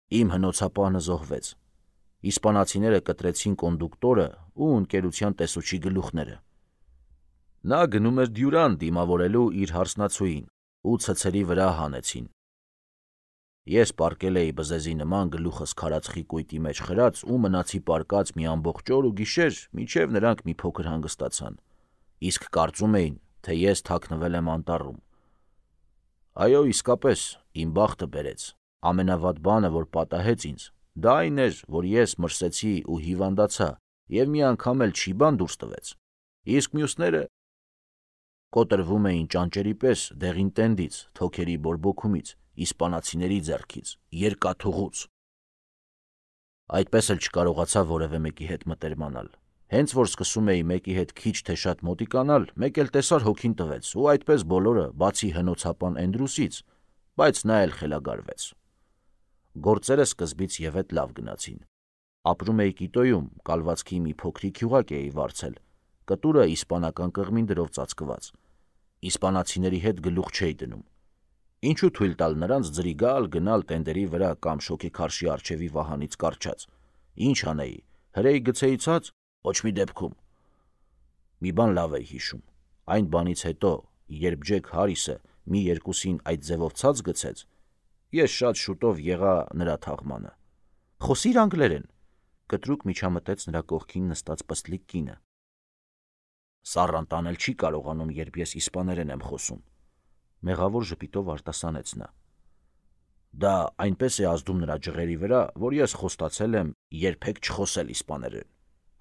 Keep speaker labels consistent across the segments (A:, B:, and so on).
A: Իմ հնոցապահը զոհվեց։ Իսպանացիները կտրեցին կոնդուկտորը ու ընկերության տեսուչի գլուխները։ Նա գնում էր Դյուրան դիմավորելու իր հարսնացուին ու ցցերի վրա հանեցին։ Ես պառկել էի բզեզի նման գլուխս քարածխի կույտի մեջ խրած ու մնացի պառկած մի ամբողջ օր ու գիշեր, մինչև նրանք մի փոքր հանգստացան, իսկ կարծում էին, թե ես թաքնվել եմ անտառում։ Այո, իսկապես, իմ բախտը բերեց։ Ամենավատ բանը, որ պատահեց ինձ, դա այն էր, որ ես մրսեցի ու հիվանդացա և մի անգամ էլ չի բան դուրս տվեց, իսկ մյուսները կոտրվում էին ճանճերի պես դեղին տենդից, թոքերի բորբոքումից, իսպանացիների ձեռքից, երկաթուղուց։ Այդպես էլ չկարողացա որևէ մեկի հետ մտերմանալ։ Հենց որ սկսում էի մեկի հետ քիչ թե շատ մոտիկանալ, մեկ էլ տեսար հոգին տվեց ու այդպես բոլորը, բացի հնոցապան Էնդրուսից, բայց նա էլ խելագարվեց։ Գործերը սկզբից ևեթ լավ գնացին։ Ապրում էի Կիտոյում, կալվածքի մի փոքրիկ գյուղակ էի վարձել, կտուրը իսպանական կղմին դրով ծածկված։ Իսպանացիների հետ գլուխ չէի դնում։ Ինչու թույլ տալ նրանց ձրի գալ-գնալ տենդերի վրա կամ շոգեքարշի առջևի վահանից կառչած։ Ինչ անեի, հրեի գցեի ցած, ոչ մի դեպքում։ Մի բան լավ էի հիշում։ Այն բանից հետո, երբ Ջեք Հարիսը մի երկուսին այդ ձևով ցած գցեց, ես շատ շուտով եղա նրա թաղմանը։ Խոսի՛ր անգլերեն, կտրուկ միջամտեց նրա կողքին նստած պստլիկ կինը։ Սառան տանել չի կարողանում, երբ ես իսպաներեն եմ խոսում, մեղավոր ժպիտով արտասանեց նա։ Դա այնպես է ազդում նրա ջղերի վրա, որ ես խոստացել եմ երբեք չխոսել իսպաներեն։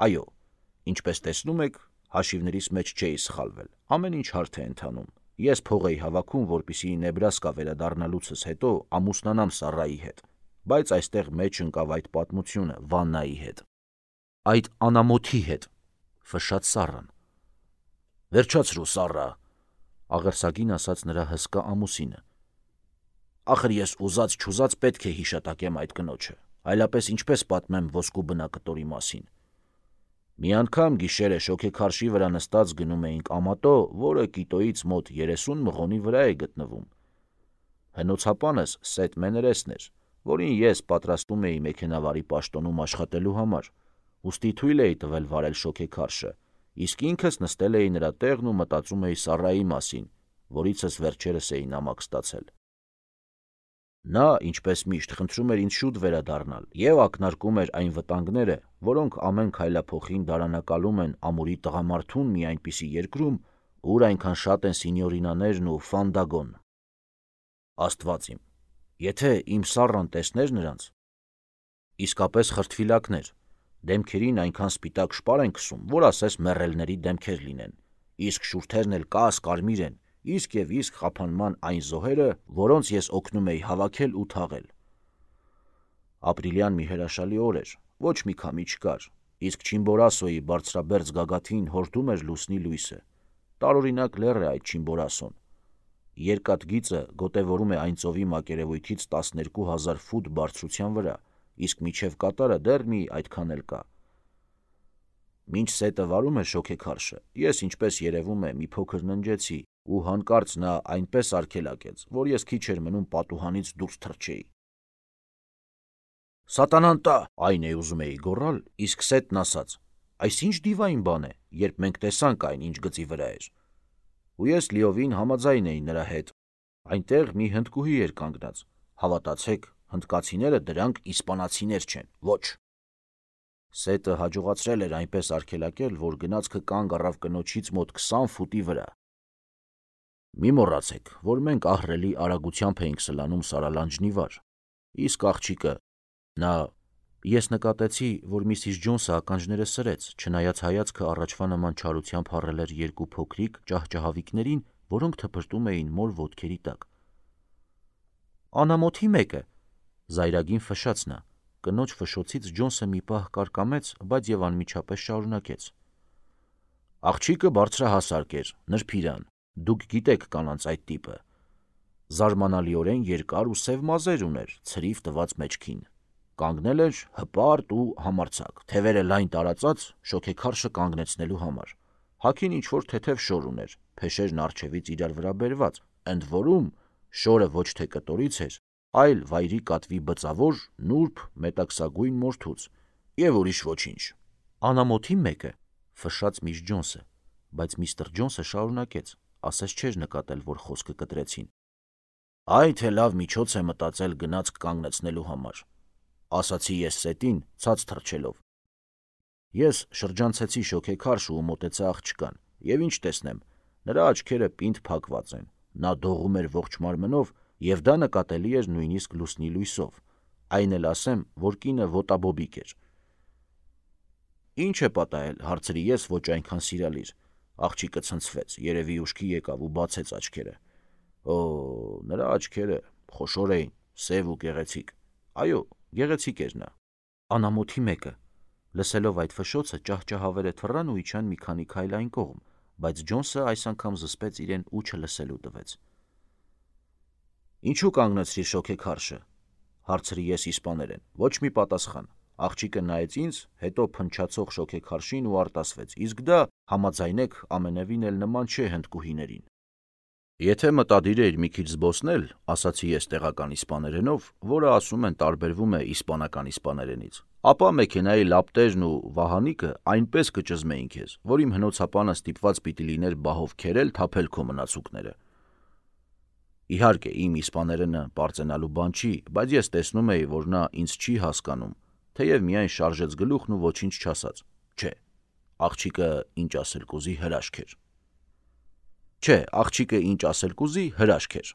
A: Այո, ինչպես տեսնում եք, հաշիվներիս մեջ չէի սխալվել, ամեն ինչ հարթ է ընթանում։ Ես փող էի հավաքում, որպեսզի Նեբրասկա վերադառնալուցս հետո ամուսնանամ Սառայի հետ, բայց այստեղ մեջ ընկավ այդ պատմությունը Վաննայի հետ։ Այդ անամոթի հետ, ֆշշաց Սառան։ Վերջացրու, Սառա, աղերսագին ասաց նրա հսկա ամուսինը։ Ախր ես ուզած-չուզած պետք է հիշատակեմ այդ կնոջը, այլապես ինչպես պատմեմ ոսկու բնակտորի մասին։ Մի անգամ գիշերը շոգեքարշի վրա նստած գնում էինք ամատո, որը Կիտոյից մոտ 30 մղոնի վրա է գտնվում։ Հնոցապանս Սեթ Մեներեսն էր, որին ես պատրաստում էի մեքենավարի պաշտոնում աշխատելու համար, ուստի թույլ էի տվել վարել շոգեքարշը, իսկ ինքս նստել էի նրա տեղն ու մտածում էի Սառայի մասին, որիցս վերջերս էի նամակ ստացել։ Նա, ինչպես միշտ, խնդրում էր ինձ շուտ վերադառնալ և ակնարկում էր այն վտանգները, որոնք ամեն քայլափոխին դարանակալում են ամուրի տղամարդուն մի այնպիսի երկրում, ուր այնքան շատ են սինյորինաներն ու ֆանդագոն։ Աստված իմ, եթե իմ Սառան տեսներ նրանց… Իսկապես խրտվիլակներ, դեմքերին այնքան սպիտակ շպար են քսում, որ ասես մեռելների դեմքեր լինեն, իսկ շուրթերն էլ կաս-կարմիր են, իսկ և իսկ խափանման այն զոհերը, որոնց ես օգնում էի հավաքել ու թաղել։ Ապրիլյան մի հրաշալի օր էր, ոչ մի քամի չկար, իսկ Չիմբորասոյի բարձրաբերձ գագաթին հորդում էր լուսնի լույսը։ Տարօրինակ լեռ է այդ Չիմբորասոն։ Երկաթ գիծը գոտևորում է այն ծովի մակերևույթից 12,000 ֆուտ բարձրության վրա, իսկ միջև կատարը դեռ մի այդքան էլ կա։ Մինչ Սետը վարում էր շոգեքարշը, ես ինչպես երևում է մի փոքր ննջեցի, ու հանկարծ նա այնպես արգելակեց, որ ես քիչ էր մնում պատուհանից դուրս թռչեի։ Սատանան տա, այն է ուզում էի գոռալ, իսկ Սետն ասաց. այս ինչ դիվային բան է, երբ մենք տեսանք այն, ինչ գծի վրա էր։ Ու ես լիովին համաձայն էի նրա հետ։ Այնտեղ մի հնդկուհի էր կանգնած։ Հավատացեք, հնդկացիները դրանք իսպանացիներ չեն, ոչ։ Սետը հաջողացրել էր այնպես արգելակել, որ գնացքը կանգ առավ կնոջից մոտ 20 ֆուտի վրա։ Մի մոռացեք, որ մենք ահռելի արագությամբ էինք սլանում Սարալանջնի վար, իսկ աղջիկը… Ես նկատեցի, որ Միսիս Ջոնսը ականջները սրեց, չնայած հայացքը առաջվա նման չարությամբ հառել էր երկու փոքրիկ ճահճահավիկներին, որոնք թփրտում էին մոր ոտքերի տակ։ Անամոթի մեկը, զայրագին ֆշշաց նա։ Կնոջ ֆշշոցից Ջոնսը մի պահ կարկամեց, բայց և անմիջապես շարունակեց. Աղջիկը բարձրահասակ էր, նրբիրան, դուք գիտեք կանանց այդ տիպը։ Զարմանալիորեն երկար ու սև մազեր ուներ ցրիվ տված մեջքին։ Կանգնել էր հպարտ ու համարձակ, թևերը լայն տարածած շոգեքարշը կանգնեցնելու համար։ Հագին ինչ-որ թեթև շոր ուներ, փեշերն առջևից իրար վրա բերված, ընդ որում շորը ոչ թե կտորից էր, այլ վայրի կատվի բծավոր, նուրբ, մետաքսագույն մորթուց, եւ ուրիշ ոչինչ։ Անամոթի մեկը, ֆշշաց միս Ջոնսը, բայց միստր Ջոնսը շարունակեց, ասես չէր նկատել, որ խոսքը կտրեցին. Այ թե լավ միջոց է մտածել գնացք կանգնեցնելու համար, ասացի ես Սետին, ցած թռչելով։ Ես շրջանցեցի շոգեքարշ ու մոտեցա աղջկան, եւ ինչ տեսնեմ, նրա աչքերը պինդ փակված են, նա դողում էր ողջ մարմնով, եւ դա նկատելի էր նույնիսկ լուսնի լույսով, այն էլ ասեմ, որ կինը ոտաբոբիկ էր։ Ինչ է պատահել, հարցրի ես ոչ այնքան սիրալիր, աղջիկը ցնցվեց, երևի ուշքի եկավ ու բացեց աչքերը։ Օ, նրա աչքերը խոշոր էին, սև ու գեղեցիկ, այո, գեղեցիկ էր նա։ Անամոթի մեկը, լսելով այդ ֆշշոցը ճահճահավերը թռան ու իջան մի քանի քայլ այն կողմ, բայց Ջոնսը այս անգամ զսպեց իրեն ու չլսելու տվեց։ Ինչու կանգնեցրիր շոգեքարշը, հարցրի ես իսպաներեն, ոչ մի պատասխան։ Աղջիկը նայեց ինձ, հետո փնչացող շոգեքարշին ու արտասվեց, իսկ դա, համաձայնեք, ամենևին էլ նման չէ հնդկուհիներին։ Եթե մտադիր էիր մի քիչ զբոսնել, ասացի ես տեղական իսպաներենով, որը ասում են տարբերվում է իսպանական իսպաներենից, ապա մեքենայի լապտերն ու վահանիկը այնպես կճզմեին քեզ, որ իմ հնոցապանը ստիպված պիտի լիներ բահով քերել թափել քո մնացուկները։ Իհարկե, իմ իսպաներենը պարծենալու բան չի, բայց ես տեսնում էի, որ նա ինձ չի հասկանում, թեև միայն շարժեց գլուխն ու ոչինչ չասաց։ Չէ, աղջիկը ինչ ասել կուզի հրաշք էր։ Չէ, աղջիկը ինչ ասել կուզի հրաշք էր։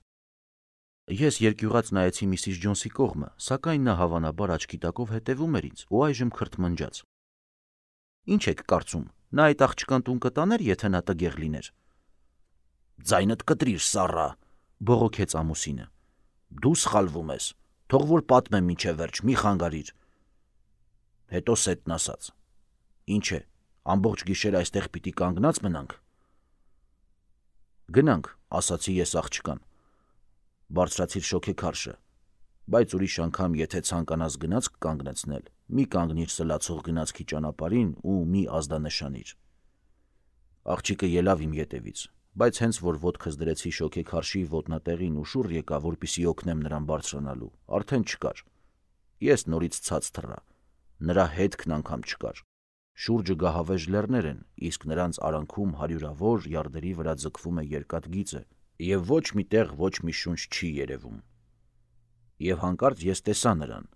A: Ես երկյուղած նայեցի միսիս Ջոնսի կողմը, սակայն նա հավանաբար աչքի տակով հետևում էր ինձ ու այժմ քրթմնջաց։ Ինչ եք կարծում, նա այդ աղջկան տուն կտաներ, եթե նա տգեղ լիներ։ Ձայնդ կտրիր, սառա, բողոքեց ամուսինը։ Դու սխալվում ես, թող որ պատմեմ մինչև վերջ, մի խանգարիր։ Հետո Սետն ասաց. Ինչ է, ամբողջ գիշեր այստեղ պիտի կանգնած մնանք։ Գնանք, ասացի ես աղջկան։ Բարձրացիր շոգեքարշը, բայց ուրիշ անգամ, եթե ցանկանաս գնացք կանգնեցնել, մի կանգնիր սլացող գնացքի ճանապարհին ու մի ազդանշանիր։ Աղջիկը ելավ իմ ետևից, բայց հենց որ ոտքս դրեցի շոգեքարշի ոտնատեղին ու շուռ եկա, որպեսզի օգնեմ նրան բարձրանալու, արդեն չկար։ Ես նորից ցած թռա, նրա հետքն անգամ չկար։ Շուրջը գահավեժ լեռներ են, իսկ նրանց արանքում հարյուրավոր յարդերի վրա ձգվում է երկաթ գիծը, եւ ոչ մի տեղ ոչ մի շունչ չի երևում։ Եվ հանկարծ ես տեսա նրան։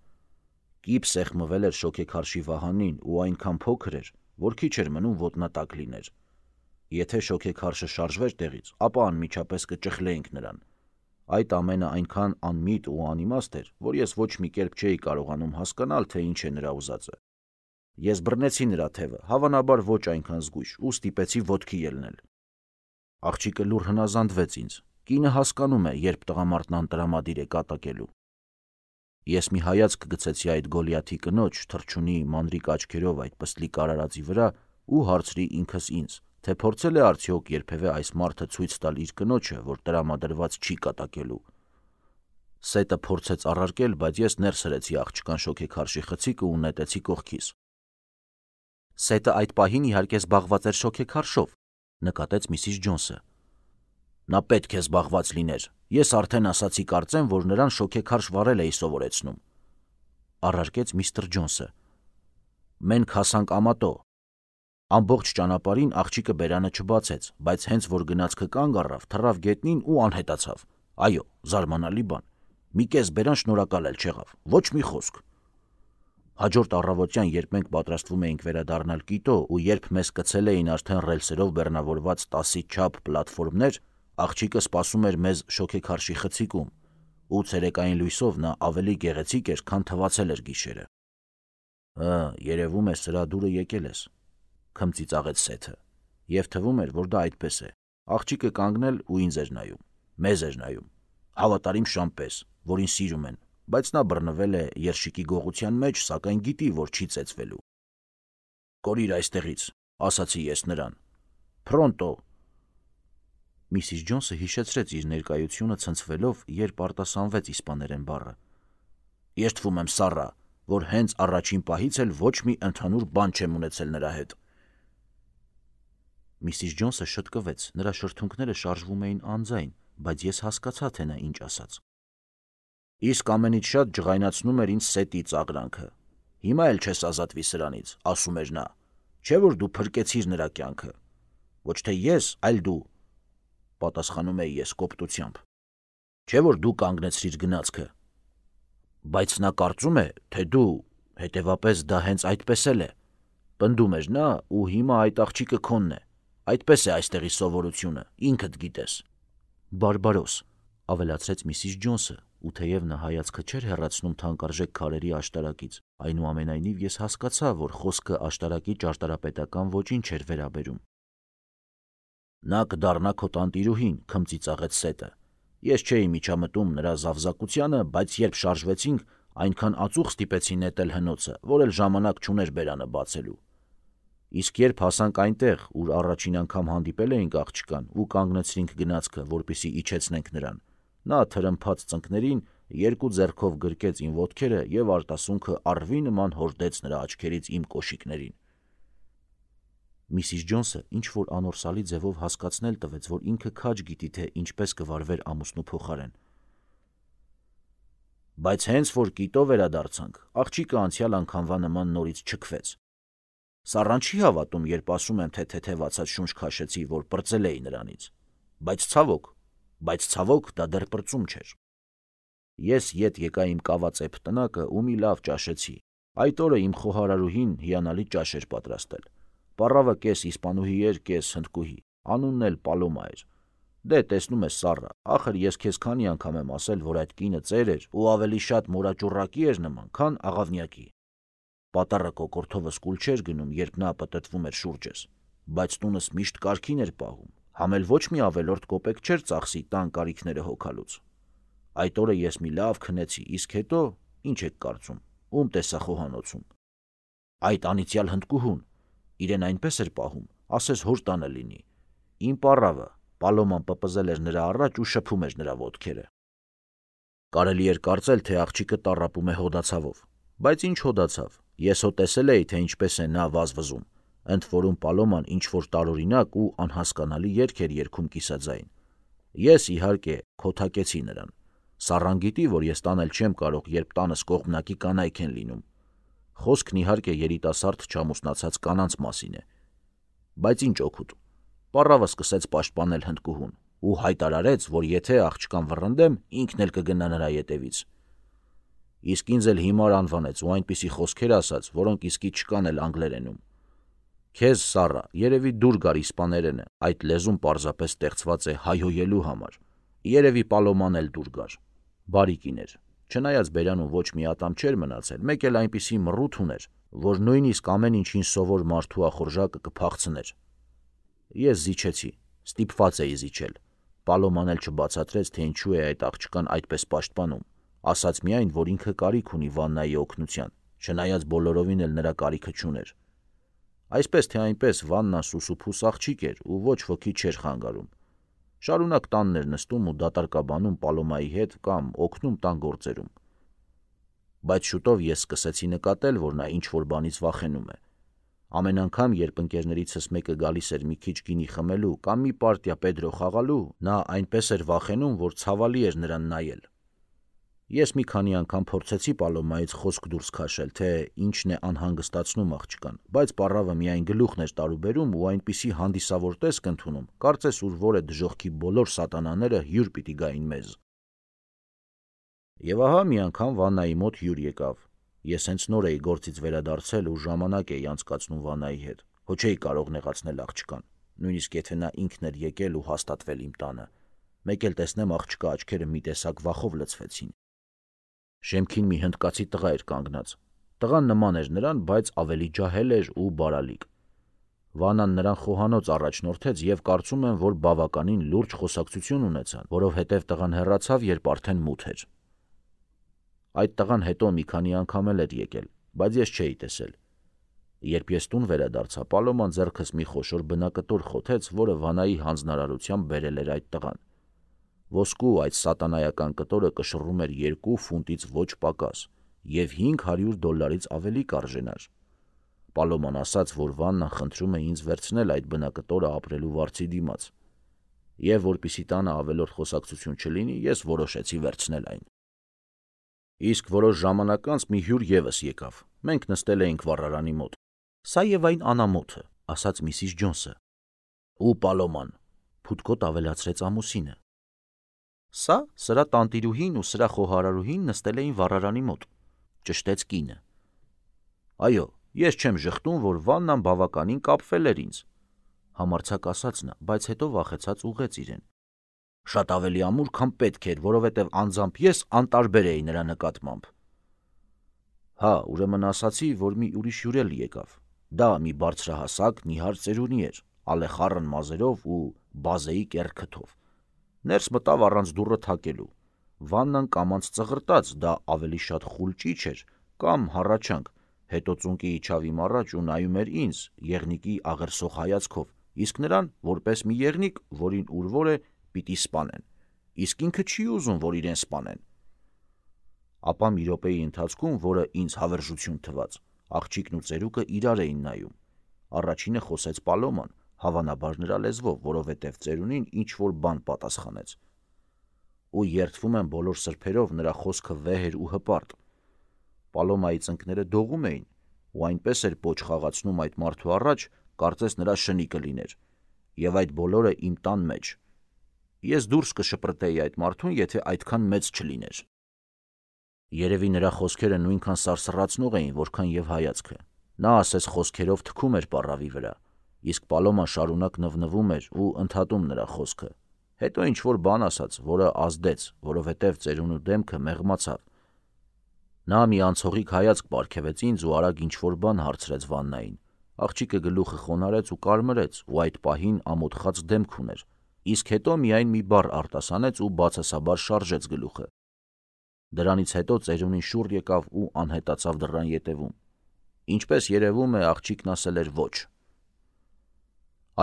A: Կիպ սեղմվել էր շոգեքարշի վահանին ու այնքան փոքր էր, որ քիչ էր մնում ոտնատակ լիներ։ Եթե շոգեքարշը շարժվեր տեղից, ապա անմիջապես կճխլեինք նրան։ Այդ ամենը այնքան անմիտ ու անիմաստ էր, որ ես ոչ մի կերպ չէի կարողանում հասկանալ, թե ինչ է նրա ուզածը։ Ես բռնեցի նրա թևը, հավանաբար ոչ այնքան զգույշ, ու ստիպեցի ոտքի ելնել։ Աղջիկը լուռ հնազանդվեց ինձ։ Կինը հասկանում է, երբ տղամարդն անտրամադիր է կատակելու։ Ես մի հայացք գցեցի այդ Գոլիաթի կնոջ թռչունի մանրիկ աչքերով այդ պստլիկ արարածի վրա ու հարցրի ինքս ինձ, թե փորձել է արդյոք երբևէ այս մարդը ցույց տալ իր կնոջը, որ տրամադրված չի կատակելու։ Սետը փորձեց առարկել, բայց ես ներս հրեցի աղջկան շոգեքարշի խցիկը ու նետեցի կողքիս։ Սետը այդ պահին իհարկե զբաղված էր շոգեքարշով, նկատեց միսիս Ջոնսը։ Նա պետք է զբաղված լիներ։ Ես արդեն ասացի կարծեմ, որ նրան շոգեքարշ վարել էի սովորեցնում։ Առարկեց միստր Ջոնսը։ Մենք հասանք ամատո։ Ամբողջ ճանապարհին աղջիկը բերանը չբացեց, բայց հենց որ գնացքը կանգ առավ, թռավ գետնին ու անհետացավ։ Այո, զարմանալի բան։ Մի կես բերան շնորհակալ էլ չեղավ, ոչ մի խոսք։ Հաջորդ առավոտյան, երբ մենք պատրաստվում էինք վերադառնալ Կիտո ու երբ մեզ կցել էին արդեն ռելսերով բեռնավորված 10-ի չափ պլատֆորմներ, աղջիկը սպասում էր մեզ շոգեքարշի խցիկում, ու ցերեկային լույսով նա ավելի գեղեցիկ էր, քան թվացել էր գիշերը։ Երևում է սրա դուրը եկել ես, քմծիծաղեց Սեթը, եւ թվում էր, որ դա այդպես է։ Աղջիկը կանգնել ու ինձ էր նայում, մեզ էր նայում, հավատարիմ շամպես, որին սիրում են, բայց նա բռնվել է երշիկի գողության մեջ, սակայն գիտի, որ չի ծեծվելու։ Կորիր այստեղից, ասացի ես նրան։ Փրոնտո։ Միսիս Ջոնսը հիշեցրեց իր ներկայությունը ցնցվելով, երբ արտասանվեց իսպաներեն բառը։ Ես թվում եմ սառա, որ հենց առաջին պահից էլ ոչ մի ընդհանուր բան չեմ ունեցել նրա հետ։ Միսիս Ջոնսը շտկվեց, նրա շրթունքները շարժվում էին անձայն, բայց ես հասկացա, թե նա ինչ ասաց։ Իսկ ամենից շատ ջղայնացնում էր ինձ Սետի ծաղրանքը։ Հիմա էլ չես ազատվի սրանից, ասում էր նա, չէ՞ որ դու փրկեցիր նրա կյանքը։ Ոչ թե ես, այլ դու, պատասխանում էի ես կոպտությամբ։ Չէ՞ որ դու կանգնեցրիր գնացքը։ Բայց նա կարծում է, թե դու, հետևապես դա հենց այդպես էլ է, պնդում էր նա, ու հիմա այդ աղջիկը քոնն է։ Այդպես է այստեղի սովորությունը, ինքդ գիտես։ Բարբարոս, ավելացրեց Միսիս Ջոնսը, ու թեև նա հայացքը չէր հեռացնում թանկարժեք քարերի աշտարակից, այնուամենայնիվ ես հասկացա, որ խոսքը աշտարակի ճարտարապետական ոճին չէր վերաբերում։ Նա կդառնա քո տանտիրուհին, քմծիծաղեց Սետը։ Ես չէի միջամտում նրա զավզակությանը, բայց երբ շարժվեցինք, այնքան ածուխ ստիպեցի նետել հնոցը, որ էլ ժամանակ չուներ բերանը բացելու։ Իսկ երբ հասանք այնտեղ, ուր առաջին անգամ հանդիպել էինք աղջկան ու կանգնեցրինք գնացքը, որպեսզի իջեցնենք նրան, նա թրմփաց ծնկներին երկու ձեռքով գրկեց իմ ոտքերը եւ արտասունքը առվի նման հորդեց նրա աչքերից իմ կոշիկներին։ Միսիս Ջոնսը ինչ-որ անորսալի ձևով հասկացնել տվեց, որ ինքը քաջ գիտի, թե ինչպես կվարվեր ամուսնու փոխարեն։ Բայց հենց որ կիտո վերադարձանք, աղջիկը անցյալ անգամվա նման նորից չքվեց։ Սառան չի հավատում, երբ ասում եմ, թե թեթևացած շունչ քաշեցի, որ պրծել էի նրանից։ Բայց ցավոք, դա դեռ պրծում չէր։ Ես ետ եկա իմ կավածեպ տնակը ու մի լավ ճաշեցի։ Այդ օրը իմ խոհարարուհին հիանալի ճաշ էր պատրաստել։ Պառավը կես իսպանուհի էր, կես հնդկուհի, անունն էլ Պալոմա էր։ Դե տեսնում ես, Սառա, ախր ես քեզ քանի անգամ եմ ասել, որ այդ կինը ծեր էր ու ավելի շատ մորաճուռակի էր նման, քան աղավնյակի։ Պատառը կոկորդովս կուլ չէր գնում, երբ նա պտտվում էր շուրջս, բայց տունս միշտ կարգին էր պահում, համ էլ ոչ մի ավելորդ կոպեկ չէր ծախսի տան կարիքները հոգալուց։ Այդ օրը ես մի լավ քնեցի, իսկ հետո, ինչ եք կարծում, ում տեսա խոհանոցում։ Այդ անիծյալ հնդկուհուն, իրեն այնպես էր պահում, ասես հոր տանը լինի։ Իմ պառավը, Պալոման պպզել էր նրա առաջ ու շփում էր նրա ոտքերը։ Կարելի էր կարծել, թե աղջիկը տառապում է հոդացավով, բայց ինչ հոդացավ, ես հո տեսել էի, թե ինչպես է նա վազվզում, ընդ որում Պալոման ինչ-որ տարօրինակ ու անհասկանալի երգ էր երգում կիսաձայն։ Ես, իհարկե, քոթակեցի նրան։ Սառան գիտի, որ ես տանել չեմ կարող, երբ տանս կողմնակի կանայք են լինում։ Խոսքն իհարկե երիտասարդ չամուսնացած կանանց մասին է։ Բայց ինչ օգուտ։ Պառավը սկսեց պաշտպանել հնդկուհուն ու հայտարարեց, որ եթե աղջկան վռնդեմ, ինքն էլ կգնա նրա ետևից։ Իսկ ինձ էլ հիմար անվանեց ու այնպիսի խոսքեր ասաց, որոնք իսկի չկան էլ անգլերենում։ Քեզ, Սառա, երևի դուր գար իսպաներենը, այդ լեզուն պարզապես ստեղծված է հայհոյելու համար։ Երևի Պալոման էլ դուր գար։ Բարի կին էր։ Չնայած բերանում ոչ մի ատամ չէր մնացել, մեկ էլ այնպիսի մռութ ուներ, որ նույնիսկ ամեն ինչին սովոր մարդու ախորժակը կփախցներ։ Ես զիջեցի, ստիպված էի զիջել։ Պալոման էլ չբացատրեց, թե ինչու է այդ աղջկան այդպես պաշտպանում, ասաց միայն, որ ինքը կարիք ունի Վաննայի օգնության, չնայած բոլորովին էլ նրա կարիքը չուներ։ Այսպես թե այնպես Վաննան սուսուփուս աղջիկ էր ու ոչ ոքի չէր խանգարում։ Շարունակ տանն էր նստում ու դատարկաբանում Պալոմայի հետ կամ օգնում տան գործերում։ Բայց շուտով ես սկսեցի նկատել, որ նա ինչ-որ բանից վախենում է։ Ամեն անգամ, երբ ընկերներիցս մեկը գալիս էր մի քիչ գինի խմելու կամ մի պարտիա Պեդրո խաղալու, նա այնպես էր վախենում, որ ցավալի էր նրան նայել։ Ես մի քանի անգամ փորձեցի Պալոմայից խոսք դուրս քաշել, թե ինչն է անհանգստացնում աղջկան, բայց պառավը միայն գլուխն էր տարուբերում ու այնպիսի հանդիսավոր տեսք ընդունում, կարծես ուր որը դժոխքի բոլոր սատանաները հյուր պիտի գային մեզ։ Եվ ահա մի անգամ Վաննայի մոտ հյուր եկավ։ Ես հենց նոր էի գործից վերադարձել ու ժամանակ էի անցկացնում Վաննայի հետ, հո չէի կարող նեղացնել աղջկան, նույնիսկ եթե նա ինքն էր եկել ու հաստատվել իմ տանը։ Մեկ էլ տեսնեմ աղջկա աչքերը մի տեսակ վախով լցվեցին։ Շեմքին մի հնդկացի տղա էր կանգնած։ Տղան նման էր նրան, բայց ավելի ջահել էր ու բարալիկ։ Վանան նրան խոհանոց առաջնորդեց եւ կարծում եմ, որ բավականին լուրջ խոսակցություն ունեցան, որովհետեւ տղան հեռացավ, երբ արդեն մութ էր։ Այդ տղան հետո մի քանի անգամ էլ էր եկել, բայց ես չէի տեսել։ Երբ ես տուն վերադարձա, Պալոման ձեռքս մի խոշոր բնակտոր խոթեց, որը Վանայի հանձնարարությամբ բերել էր այդ տղան։ Ոսկու այդ սատանայական կտորը կշռում էր 2 ֆունտից ոչ պակաս եւ $500 ավելի կարժենար։ Պալոման ասաց, որ Վաննան խնդրում է ինձ վերցնել այդ բնակտորը ապրելու վարձի դիմաց։ Եվ որպիսի տանը ավելորդ խոսակցություն չլինի, ես որոշեցի վերցնել այն։ Իսկ որոշ ժամանակ անց մի հյուր ևս եկավ։ Մենք նստել էինք վառարանի մոտ։ Սա եւ այն անամոթը, ասաց Միսիս Ջոնսը։ Ու Պալոման, փութկոտ ավելացրեց ամուսինը։ Սա սրա տանտիրուհին ու սրա խոհարարուհին նստել էին վառարանի մոտ, ճշտեց կինը։ Այո, ես չեմ ժխտում, որ Վաննան բավականին կապվել էր ինձ, համարձակ ասաց նա, բայց հետո վախեցած ուղղեց իրեն։ Շատ ավելի ամուր, քան պետք էր, որովհետև անձամբ ես անտարբեր էի նրա նկատմամբ։ Հա, ուրեմն ասացի, որ մի ուրիշ հյուր էլ եկավ։ Դա մի բարձրահասակ, նիհար ծերունի էր, ալեխառն մազերով ու բազեի կեռ քթով։ Ներս մտավ առանց դուռը թակելու։ Վաննան կամանց ծղրտաց, դա ավելի շատ խուլճիչ էր, կամ հառաչանք, հետո ծունկի իջավ իմ առաջ ու նայում էր ինձ, եղնիկի աղերսող հայացքով, իսկ նրան, որպես մի եղնիկ, որին ուրվոր է, պիտի սպանեն, իսկ ինքը չի ուզում, որ իրեն սպանեն։ Ապա մի րոպեի ընթացքում, որը ինձ հավերժություն թվաց, աղջիկն ու ծերուկը իրար էին նայում։ Առաջինը խոսեց Պալոման, հավանաբար նրա լեզվով, որովհետև ծերունին ինչ-որ բան պատասխանեց։ Ու երդվում եմ բոլոր սրբերով, նրա խոսքը վեհ էր ու հպարտ։ Պալոմայի ծնկները դողում էին, ու այնպես էր պոչ խաղացնում այդ մարդու առաջ, կարծես նրա շնի կլիներ, եւ այդ բոլորը իմ տան մեջ։ Ես դուրս կշպրտեի այդ մարդուն, եթե այդքան մեծ չլիներ։ Երևի նրա խոսքերը նույնքան սարսռացնող էին, որքան եւ հայացքը։ Նա ասես խոսքերով թքում էր պառավի վրա, իսկ Պալոման շարունակ նվնվում էր ու ընդհատում նրա խոսքը։ Հետո ինչ-որ բան ասաց, որը ազդեց, որովհետև ծերունու դեմքը մեղմացավ։ Նա մի անցողիկ հայացք պարգևեց ինձ ու արագ ինչ-որ բան հարցրեց Վաննային։ Աղջիկը գլուխը խոնարհեց ու կարմրեց ու այդ պահին ամոթխած դեմք ուներ, իսկ հետո միայն մի բառ արտասանեց ու բացասաբար շարժեց գլուխը։ Դրանից հետո ծերունին շուռ եկավ ու անհետացավ դռան ետևում։ Ինչպես երևում է, աղջիկն ասել էր ոչ։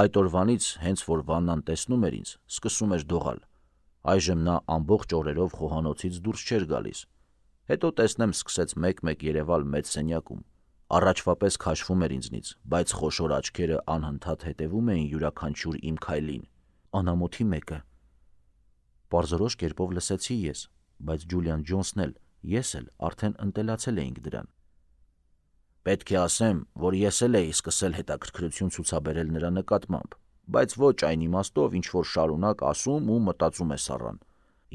A: Այդ օրվանից, հենց որ Վաննան տեսնում էր ինձ, սկսում էր դողալ։ Այժմ նա ամբողջ օրերով խոհանոցից դուրս չէր գալիս։ Հետո տեսնեմ սկսեց մեկ-մեկ երևալ մեծ սենյակում։ Առաջվա պես քաշվում էր ինձնից, բայց խոշոր աչքերը անհնդհատ հետևում էին յուրաքանչյուր իմ քայլին։ Անամոթի մեկը։ Պարզորոշ կերպով լսեցի ես, բայց Ջուլիան Ջոնսն էլ, ես էլ արդեն ընտելացել էինք դրան։ Պետք է ասեմ, որ ես էլ էի սկսել հետաքրքրություն ցուցաբերել նրա նկատմամբ, բայց ոչ այն իմաստով, ինչ որ շարունակ ասում ու մտածում է սառան։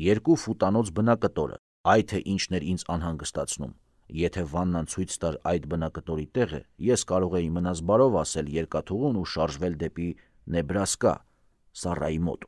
A: 2 ֆուտանոց բնակտորը, այ թե ինչն էր ինձ անհանգստացնում։ Եթե Վաննան ցույց տար այդ բնակտորի տեղը, ես կարող էի մնաս բարով ասել երկաթուղուն ու շարժվել դեպի Նեբրասկա, Սառայի մոտ։